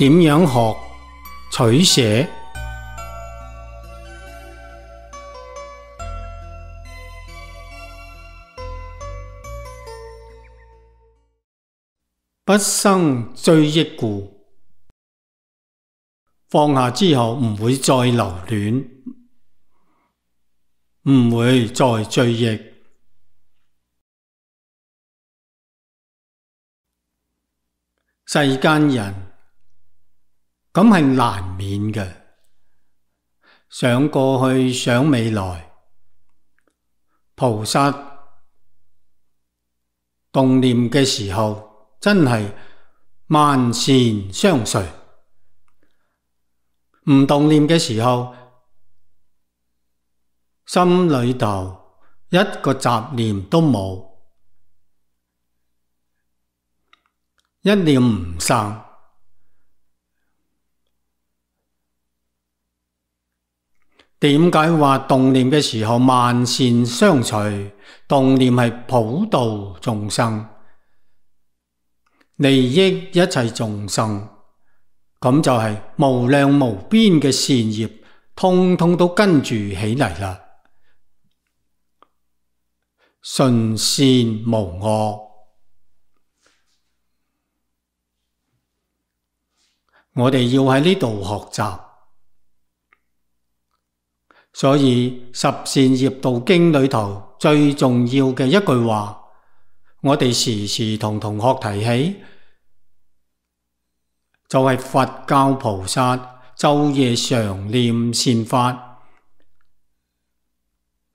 點樣學取捨？不生追憶故，放下之後唔會再留戀，唔會再追憶。世間人咁係難免嘅，想過去想未來，菩薩動念嘅時候真係萬善相隨，唔動念嘅時候，心裏頭一個雜念都冇，一念唔生。點解話動念嘅時候萬善相隨？動念係普度眾生，利益一切眾生，咁就係無量無邊嘅善業，通通都跟住起嚟啦。純善無惡，我哋要喺呢度學習。所以十善業道經裏頭最重要嘅一句話，我哋時時同同學提起，就係佛教菩薩晝夜常念善法，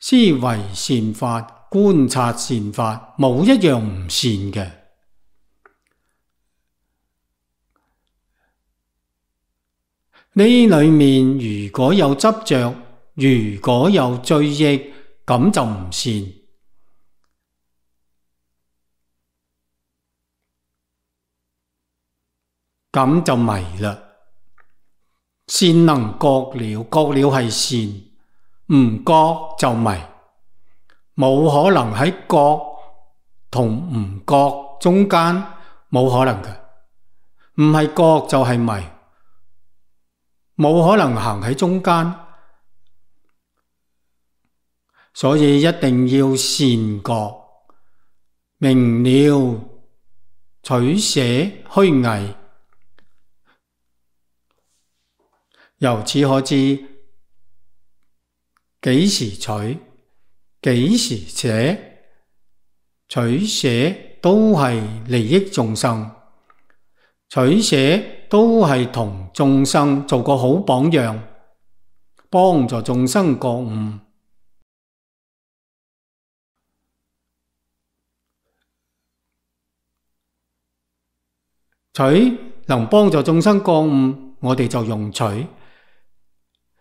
思維善法，觀察善法，冇一樣唔善嘅。呢裏面如果有執着，如果有追憶，咁就唔善。咁就迷啦。善能覺了，覺了係善，唔覺就迷。冇可能喺覺同唔覺中間，冇可能嘅。唔係覺就係迷，冇可能行喺中間。所以一定要善覺，明了取捨虛偽。由此可知，幾時取，幾時捨，取捨都係利益眾生，取捨都係同眾生做個好榜樣，幫助眾生覺悟。取能幫助眾生覺悟，我哋就用取；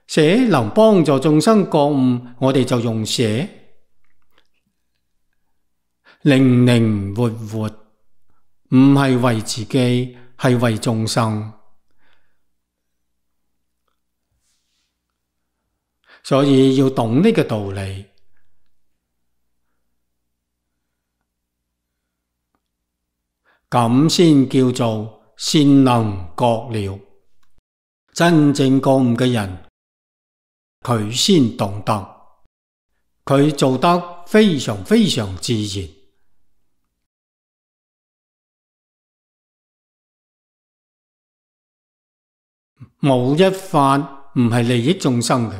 捨能幫助眾生覺悟，我哋就用捨。靈靈活活，唔係為自己，係為眾生。所以要懂呢個道理。咁先叫做善能覺了。真正覺悟嘅人，佢先懂得，佢做得非常非常自然。冇一法唔係利益眾生嘅，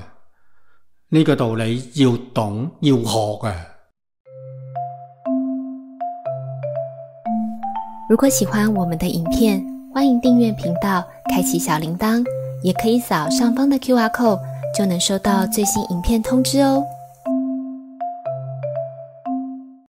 呢個道理要懂要學嘅。如果喜歡我們的影片，歡迎訂閱頻道，開啟小鈴鐺，也可以掃上方的QR code，就能收到最新影片通知哦。